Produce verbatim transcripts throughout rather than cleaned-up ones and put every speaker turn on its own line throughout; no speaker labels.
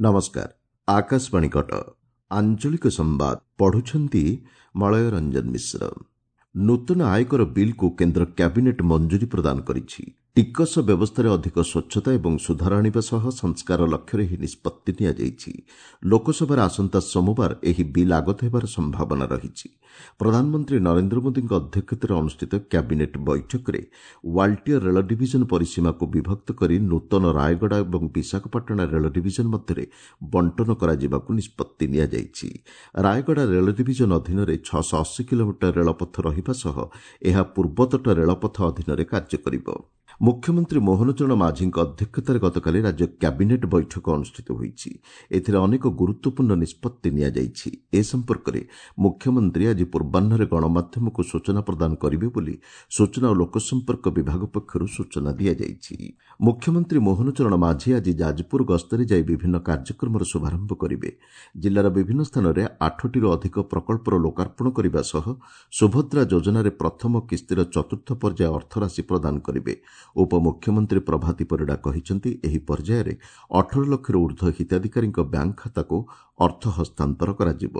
ନମସ୍କାର, ଆକାଶବାଣୀ କଟକ, ଆଞ୍ଚଳିକ ସମ୍ବାଦ ପଢୁଛନ୍ତି ମଳୟ ରଞ୍ଜନ ମିଶ୍ର। ନୂତନ ଆୟକର ବିଲ୍କୁ କେନ୍ଦ୍ର କ୍ୟାବିନେଟ୍ ମଞ୍ଜୁରୀ ପ୍ରଦାନ କରିଛି। ଟିକସ ବ୍ୟବସ୍ଥାରେ ଅଧିକ ସ୍ୱଚ୍ଛତା ଏବଂ ସୁଧାର ଆଣିବା ସହ ସଂସ୍କାର ଲକ୍ଷ୍ୟରେ ଏହି ନିଷ୍ପତ୍ତି ନିଆଯାଇଛି। ଲୋକସଭାରେ ଆସନ୍ତା ସୋମବାର ଏହି ବିଲ୍ ଆଗତ ହେବାର ସମ୍ଭାବନା ରହିଛି। ପ୍ରଧାନମନ୍ତ୍ରୀ ନରେନ୍ଦ୍ର ମୋଦିଙ୍କ ଅଧ୍ୟକ୍ଷତାରେ ଅନୁଷ୍ଠିତ କ୍ୟାବିନେଟ୍ ବୈଠକରେ ୱାଲ୍ଟିୟର ରେଳ ଡିଭିଜନ ପରିସୀମାକୁ ବିଭକ୍ତ କରି ନୂତନ ରାୟଗଡ଼ା ଏବଂ ବିଶାଖାପାଟଣା ରେଳ ଡିଭିଜନ ମଧ୍ୟରେ ବଣ୍ଟନ କରାଯିବାକୁ ନିଷ୍ପତ୍ତି ନିଆଯାଇଛି। ରାୟଗଡ଼ା ରେଳ ଡିଭିଜନ ଅଧୀନରେ ଛଅଶହ ଅଶୀ କିଲୋମିଟର ରେଳପଥ ରହିବା ସହ ଏହା ପୂର୍ବତଟ ରେଳପଥ ଅଧୀନରେ କାର୍ଯ୍ୟ କରିବ। ମୁଖ୍ୟମନ୍ତ୍ରୀ ମୋହନ ଚରଣ ମାଝୀଙ୍କ ଅଧ୍ୟକ୍ଷତାରେ ଗତକାଲି ରାଜ୍ୟ କ୍ୟାବିନେଟ୍ ବୈଠକ ଅନୁଷ୍ଠିତ ହୋଇଛି। ଏଥିରେ ଅନେକ ଗୁରୁତ୍ୱପୂର୍ଣ୍ଣ ନିଷ୍ପତ୍ତି ନିଆଯାଇଛି। ଏ ସମ୍ପର୍କରେ ମୁଖ୍ୟମନ୍ତ୍ରୀ ଆଜି ପୂର୍ବାହ୍ନରେ ଗଣମାଧ୍ୟମକୁ ସୂଚନା ପ୍ରଦାନ କରିବେ ବୋଲି ସୂଚନା ଓ ଲୋକସମ୍ପର୍କ ବିଭାଗ ପକ୍ଷରୁ ସୂଚନା ଦିଆଯାଇଛି। ମୁଖ୍ୟମନ୍ତ୍ରୀ ମୋହନ ଚରଣ ମାଝୀ ଆଜି ଯାଜପୁର ଗସ୍ତରେ ଯାଇ ବିଭିନ୍ନ କାର୍ଯ୍ୟକ୍ରମର ଶୁଭାରମ୍ଭ କରିବେ। ଜିଲ୍ଲାର ବିଭିନ୍ନ ସ୍ଥାନରେ ଆଠଟିରୁ ଅଧିକ ପ୍ରକଳ୍ପର ଲୋକାର୍ପଣ କରିବା ସହ ସୁଭଦ୍ରା ଯୋଜନାରେ ପ୍ରଥମ କିସ୍ତିର ଚତୁର୍ଥ ପର୍ଯ୍ୟାୟ ଅର୍ଥରାଶି ପ୍ରଦାନ କରିବେ। ଉପମୁଖ୍ୟମନ୍ତ୍ରୀ ପ୍ରଭାତୀ ପରିଡ଼ା କହିଛନ୍ତି, ଏହି ପର୍ଯ୍ୟାୟରେ ଅଠର ଲକ୍ଷରୁ ଉର୍ଦ୍ଧ୍ୱ ହିତାଧିକାରୀଙ୍କ ବ୍ୟାଙ୍କ ଖାତାକୁ ଅର୍ଥ ହସ୍ତାନ୍ତର କରାଯିବ।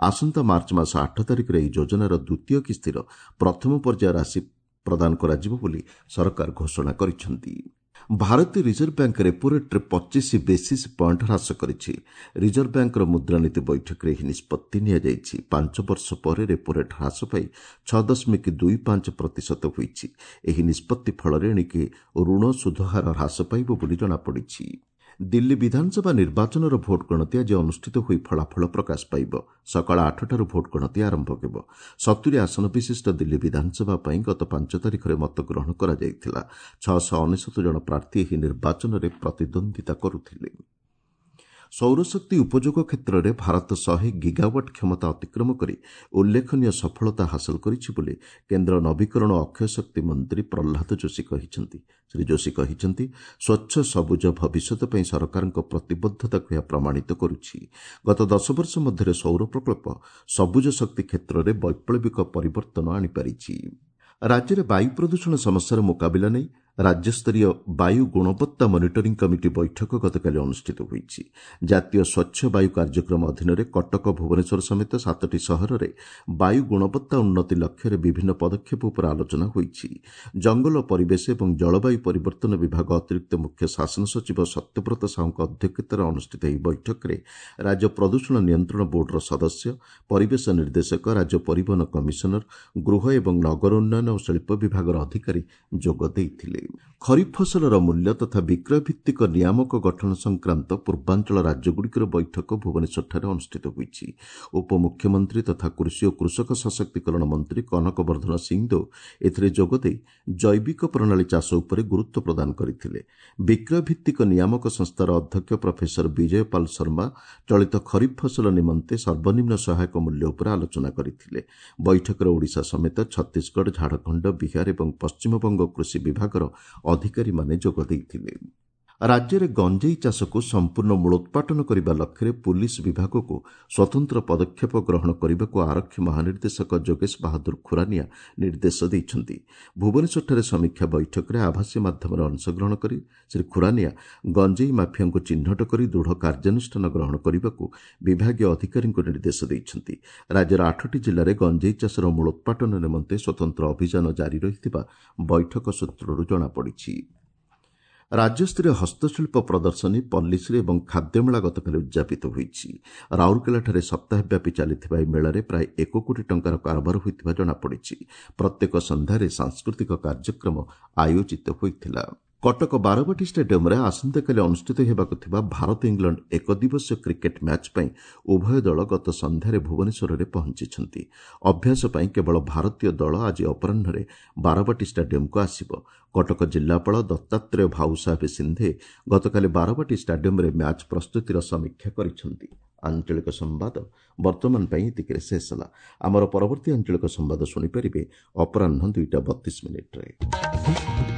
ଆସନ୍ତା ମାର୍ଚ୍ଚ ମାସ ଆଠ ତାରିଖରେ ଏହି ଯୋଜନାର ଦ୍ୱିତୀୟ କିସ୍ତିର ପ୍ରଥମ ପର୍ଯ୍ୟାୟ ରାଶି ପ୍ରଦାନ କରାଯିବ ବୋଲି ସରକାର ଘୋଷଣା କରିଛନ୍ତି। ଭାରତୀୟ ରିଜର୍ଭ ବ୍ୟାଙ୍କ ରେପୋ ରେଟ୍ରେ ପଚିଶ ବେସିସ୍ ପଏଣ୍ଟ ହ୍ରାସ କରିଛି। ରିଜର୍ଭ ବ୍ୟାଙ୍କର ମୁଦ୍ରାନୀତି ବୈଠକରେ ଏହି ନିଷ୍ପତ୍ତି ନିଆଯାଇଛି। ପାଞ୍ଚ ବର୍ଷ ପରେ ରେପୋ ରେଟ୍ ହ୍ରାସ ପାଇ ଛଅ ଦଶମିକ ଦୁଇ ପାଞ୍ଚ ପ୍ରତିଶତ ହୋଇଛି। ଏହି ନିଷ୍ପତ୍ତି ଫଳରେ ଏଣିକି ଋଣ ସୁଧହାର ହ୍ରାସ ପାଇବ ବୋଲି ଜଣାପଡ଼ିଛି। ଦିଲ୍ଲୀ ବିଧାନସଭା ନିର୍ବାଚନର ଭୋଟ ଗଣତି ଆଜି ଅନୁଷ୍ଠିତ ହୋଇ ଫଳାଫଳ ପ୍ରକାଶ ପାଇବ। ସକାଳ ଆଠଟାରୁ ଭୋଟ ଗଣତି ଆରମ୍ଭ ହେବ। ସତୁରି ଆସନ ବିଶିଷ୍ଟ ଦିଲ୍ଲୀ ବିଧାନସଭା ପାଇଁ ଗତ ପାଞ୍ଚ ତାରିଖରେ ମତଗ୍ରହଣ କରାଯାଇଥିଲା। ଛଅଶହ ଅନେଶତ ଜଣ ପ୍ରାର୍ଥୀ ଏହି ନିର୍ବାଚନରେ ପ୍ରତିଦ୍ୱନ୍ଦ୍ୱିତା କରୁଥିଲେ। ସୌରଶକ୍ତି ଉପଯୋଗ କ୍ଷେତ୍ରରେ ଭାରତ ଶହେ ଗିଗାୱାଟ୍ କ୍ଷମତା ଅତିକ୍ରମ କରି ଉଲ୍ଲେଖନୀୟ ସଫଳତା ହାସଲ କରିଛି ବୋଲି କେନ୍ଦ୍ର ନବୀକରଣ ଓ ଅକ୍ଷୟ ଶକ୍ତି ମନ୍ତ୍ରୀ ପ୍ରହ୍ଲାଦ ଯୋଶୀ କହିଛନ୍ତି। ଶ୍ରୀ ଯୋଶୀ କହିଛନ୍ତି, ସ୍ୱଚ୍ଛ ସବୁଜ ଭବିଷ୍ୟତ ପାଇଁ ସରକାରଙ୍କ ପ୍ରତିବଦ୍ଧତାକୁ ଏହା ପ୍ରମାଣିତ କରୁଛି। ଗତ ଦଶ ବର୍ଷ ମଧ୍ୟରେ ସୌର ପ୍ରକଳ୍ପ ସବୁଜ ଶକ୍ତି କ୍ଷେତ୍ରରେ ବୈପ୍ଳବିକ ପରିବର୍ତ୍ତନ ଆଣିପାରିଛି। ରାଜ୍ୟରେ ବାୟୁ ପ୍ରଦୂଷଣ ସମସ୍ୟାର ମୁକାବିଲା ନେଇ ରାଜ୍ୟସ୍ତରୀୟ ବାୟୁ ଗୁଣବତ୍ତା ମନିଟରିଂ କମିଟି ବୈଠକ ଗତକାଲି ଅନୁଷ୍ଠିତ ହୋଇଛି। ଜାତୀୟ ସ୍ୱଚ୍ଛ ବାୟୁ କାର୍ଯ୍ୟକ୍ରମ ଅଧୀନରେ କଟକ, ଭୁବନେଶ୍ୱର ସମେତ ସାତଟି ସହରରେ ବାୟୁ ଗୁଣବତ୍ତା ଉନ୍ନତି ଲକ୍ଷ୍ୟରେ ବିଭିନ୍ନ ପଦକ୍ଷେପ ଉପରେ ଆଲୋଚନା ହୋଇଛି। ଜଙ୍ଗଲ, ପରିବେଶ ଏବଂ ଜଳବାୟୁ ପରିବର୍ତ୍ତନ ବିଭାଗ ଅତିରିକ୍ତ ମୁଖ୍ୟ ଶାସନ ସଚିବ ସତ୍ୟବ୍ରତ ସାହୁଙ୍କ ଅଧ୍ୟକ୍ଷତାରେ ଅନୁଷ୍ଠିତ ଏହି ବୈଠକରେ ରାଜ୍ୟ ପ୍ରଦୂଷଣ ନିୟନ୍ତ୍ରଣ ବୋର୍ଡର ସଦସ୍ୟ, ପରିବେଶ ନିର୍ଦ୍ଦେଶକ, ରାଜ୍ୟ ପରିବହନ କମିଶନର, ଗୃହ ଏବଂ ନଗର ଉନ୍ନୟନ ଓ ଶିଳ୍ପ ବିଭାଗର ଅଧିକାରୀ ଯୋଗ ଦେଇଥିଲେ। ଖରିଫ ଫସଲର ମୂଲ୍ୟ ତଥା ବିକ୍ରୟ ଭିତ୍ତିକ ନିୟାମକ ଗଠନ ସଂକ୍ରାନ୍ତ ପୂର୍ବାଞ୍ଚଳ ରାଜ୍ୟଗୁଡ଼ିକର ବୈଠକ ଭୁବନେଶ୍ୱରଠାରେ ଅନୁଷ୍ଠିତ ହୋଇଛି। ଉପମୁଖ୍ୟମନ୍ତ୍ରୀ ତଥା କୃଷି ଓ କୃଷକ ସଶକ୍ତିକରଣ ମନ୍ତ୍ରୀ କନକ ବର୍ଦ୍ଧନ ସିଂଦେଓ ଏଥିରେ ଯୋଗଦେଇ ଜୈବିକ ପ୍ରଣାଳୀ ଚାଷ ଉପରେ ଗୁରୁତ୍ୱ ପ୍ରଦାନ କରିଥିଲେ। ବିକ୍ରୟ ଭିତ୍ତିକ ନିୟାମକ ସଂସ୍ଥାର ଅଧ୍ୟକ୍ଷ ପ୍ରଫେସର ବିଜୟ ପାଲ ଶର୍ମା ଚଳିତ ଖରିଫ ଫସଲ ନିମନ୍ତେ ସର୍ବନିମ୍ନ ସହାୟକ ମୂଲ୍ୟ ଉପରେ ଆଲୋଚନା କରିଥିଲେ। ବୈଠକରେ ଓଡ଼ିଶା ସମେତ ଛତିଶଗଡ଼, ଝାଡ଼ଖଣ୍ଡ, ବିହାର ଏବଂ ପଶ୍ଚିମବଙ୍ଗ କୃଷି ବିଭାଗର ଅଧିକାରୀମାନେ ଯୋଗ ଦେଇଥିଲେ। ରାଜ୍ୟରେ ଗଞ୍ଜେଇ ଚାଷକୁ ସମ୍ପୂର୍ଣ୍ଣ ମୂଳୋତ୍ପାଟନ କରିବା ଲକ୍ଷ୍ୟରେ ପୁଲିସ ବିଭାଗକୁ ସ୍ୱତନ୍ତ୍ର ପଦକ୍ଷେପ ଗ୍ରହଣ କରିବାକୁ ଆରକ୍ଷୀ ମହାନିର୍ଦ୍ଦେଶକ ଯୋଗେଶ ବାହାଦୁର ଖୁରାନିଆ ନିର୍ଦ୍ଦେଶ ଦେଇଛନ୍ତି। ଭୁବନେଶ୍ୱରଠାରେ ସମୀକ୍ଷା ବୈଠକରେ ଆଭାସୀ ମାଧ୍ୟମରେ ଅଂଶଗ୍ରହଣ କରି ଶ୍ରୀ ଖୁରାନିଆ ଗଞ୍ଜେଇ ମାଫିଆଙ୍କୁ ଚିହ୍ନଟ କରି ଦୃଢ଼ କାର୍ଯ୍ୟାନୁଷ୍ଠାନ ଗ୍ରହଣ କରିବାକୁ ବିଭାଗୀୟ ଅଧିକାରୀଙ୍କୁ ନିର୍ଦ୍ଦେଶ ଦେଇଛନ୍ତି। ରାଜ୍ୟର ଆଠଟି ଜିଲ୍ଲାରେ ଗଞ୍ଜେଇ ଚାଷର ମୂଳୋତ୍ପାଟନ ନିମନ୍ତେ ସ୍ୱତନ୍ତ୍ର ଅଭିଯାନ ଜାରି ରହିଥିବା ବୈଠକ ସୂତ୍ରରୁ ଜଣାପଡ଼ିଛି। ରାଜ୍ୟସ୍ତରୀୟ ହସ୍ତଶିଳ୍ପ ପ୍ରଦର୍ଶନୀ, ପଲ୍ଲୀଶ୍ରୀ ଏବଂ ଖାଦ୍ୟମେଳା ଗତକାଲି ଉଦ୍ଯାପିତ ହୋଇଛି। ରାଉରକେଲାଠାରେ ସପ୍ତାହବ୍ୟାପୀ ଚାଲିଥିବା ଏହି ମେଳାରେ ପ୍ରାୟ ଏକ କୋଟି ଟଙ୍କାର କାରବାର ହୋଇଥିବା ଜଣାପଡ଼ିଛି। ପ୍ରତ୍ୟେକ ସନ୍ଧ୍ୟାରେ ସାଂସ୍କୃତିକ କାର୍ଯ୍ୟକ୍ରମ ଆୟୋଜିତ ହୋଇଥିଲା। କଟକ ବାରବାଟୀ ଷ୍ଟାଡିୟମରେ ଆସନ୍ତାକାଲି ଅନୁଷ୍ଠିତ ହେବାକୁ ଥିବା ଭାରତ ଇଂଲଣ୍ଡ ଏକଦିବସୀୟ କ୍ରିକେଟ୍ ମ୍ୟାଚ୍ ପାଇଁ ଉଭୟ ଦଳ ଗତ ସନ୍ଧ୍ୟାରେ ଭୁବନେଶ୍ୱରରେ ପହଞ୍ଚିଛନ୍ତି। ଅଭ୍ୟାସ ପାଇଁ କେବଳ ଭାରତୀୟ ଦଳ ଆଜି ଅପରାହ୍ନରେ ବାରବାଟୀ ଷ୍ଟାଡିୟମକୁ ଆସିବ। କଟକ ଜିଲ୍ଲାପାଳ ଦତ୍ତାତ୍ରେୟ ଭାଉସାହେବ ସିନ୍ଧେ ଗତକାଲି ବାରବାଟୀ ଷ୍ଟାଡିୟମରେ ମ୍ୟାଚ୍ ପ୍ରସ୍ତୁତିର ସମୀକ୍ଷା କରିଛନ୍ତି। ଆଞ୍ଚଳିକ ସମ୍ବାଦ ବର୍ତ୍ତମାନ ପାଇଁ ଏତିକିରେ ଶେଷ ହେଲା। ଆମର ପରବର୍ତ୍ତୀ ଆଞ୍ଚଳିକ ସମ୍ବାଦ ଶୁଣିପାରିବେ ଅପରାହ୍ନ ଦୁଇଟା ବତିଶ ମିନିଟ୍ରେ।